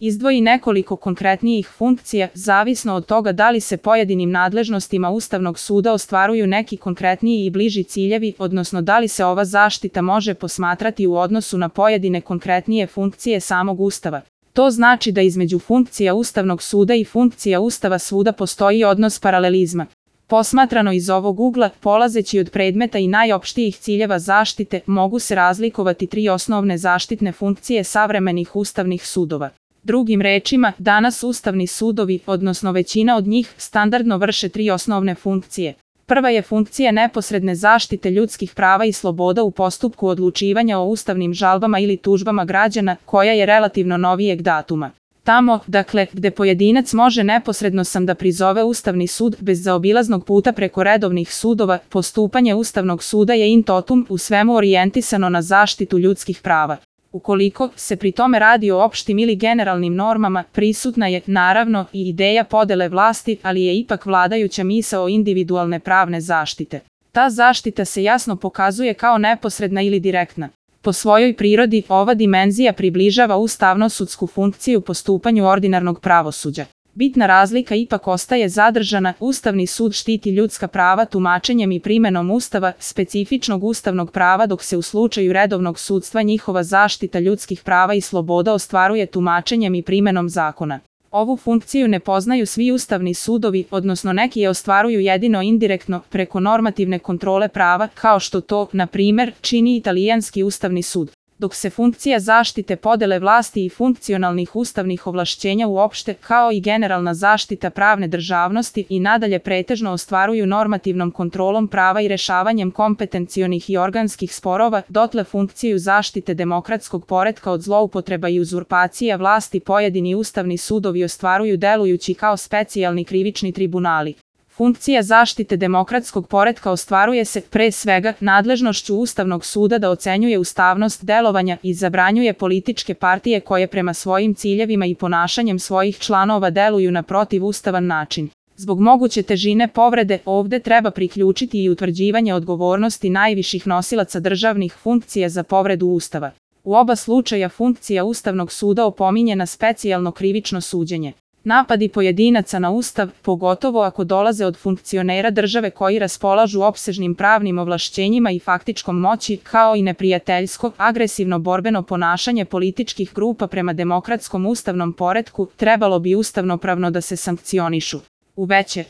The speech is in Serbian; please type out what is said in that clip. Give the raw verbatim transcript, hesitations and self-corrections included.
izdvoji nekoliko konkretnijih funkcija, zavisno od toga da li se pojedinim nadležnostima Ustavnog suda ostvaruju neki konkretniji i bliži ciljevi, odnosno da li se ova zaštita može posmatrati u odnosu na pojedine konkretnije funkcije samog Ustava. To znači da između funkcija Ustavnog suda i funkcija Ustava suda postoji odnos paralelizma. Posmatrano iz ovog ugla, polazeći od predmeta i najopštijih ciljeva zaštite, mogu se razlikovati tri osnovne zaštitne funkcije savremenih ustavnih sudova. Drugim rečima, danas ustavni sudovi, odnosno većina od njih, standardno vrše tri osnovne funkcije. Prva je funkcija neposredne zaštite ljudskih prava i sloboda u postupku odlučivanja o ustavnim žalbama ili tužbama građana, koja je relativno novijeg datuma. Tamo, dakle, gde pojedinac može neposredno sam da prizove Ustavni sud bez zaobilaznog puta preko redovnih sudova, postupanje Ustavnog suda je in totum u svemu orijentisano na zaštitu ljudskih prava. Ukoliko se pri tome radi o opštim ili generalnim normama, prisutna je, naravno, i ideja podele vlasti, ali je ipak vladajuća misao individualne pravne zaštite. Ta zaštita se jasno pokazuje kao neposredna ili direktna. Po svojoj prirodi, ova dimenzija približava ustavno-sudsku funkciju postupanju ordinarnog pravosuđa. Bitna razlika ipak ostaje zadržana, Ustavni sud štiti ljudska prava tumačenjem i primenom Ustava, specifičnog ustavnog prava, dok se u slučaju redovnog sudstva njihova zaštita ljudskih prava i sloboda ostvaruje tumačenjem i primenom zakona. Ovu funkciju ne poznaju svi ustavni sudovi, odnosno neki je ostvaruju jedino indirektno, preko normativne kontrole prava, kao što to, na primer, čini Italijanski ustavni sud. Dok se funkcija zaštite podele vlasti i funkcionalnih ustavnih ovlašćenja uopšte, kao i generalna zaštita pravne državnosti i nadalje pretežno ostvaruju normativnom kontrolom prava i rešavanjem kompetencionih i organskih sporova, dotle funkciju zaštite demokratskog poretka od zloupotreba i uzurpacija vlasti pojedini ustavni sudovi ostvaruju delujući kao specijalni krivični tribunali. Funkcija zaštite demokratskog poretka ostvaruje se, pre svega, nadležnošću Ustavnog suda da ocenjuje ustavnost delovanja i zabranjuje političke partije koje prema svojim ciljevima i ponašanjem svojih članova deluju na protivustavan način. Zbog moguće težine povrede, ovde treba priključiti i utvrđivanje odgovornosti najviših nosilaca državnih funkcija za povredu Ustava. U oba slučaja funkcija Ustavnog suda opominje na specijalno krivično suđenje. Napadi pojedinaca na Ustav, pogotovo ako dolaze od funkcionera države koji raspolažu opsežnim pravnim ovlašćenjima i faktičkom moći, kao i neprijateljsko, agresivno borbeno ponašanje političkih grupa prema demokratskom ustavnom poretku, trebalo bi ustavnopravno da se sankcionišu. U veće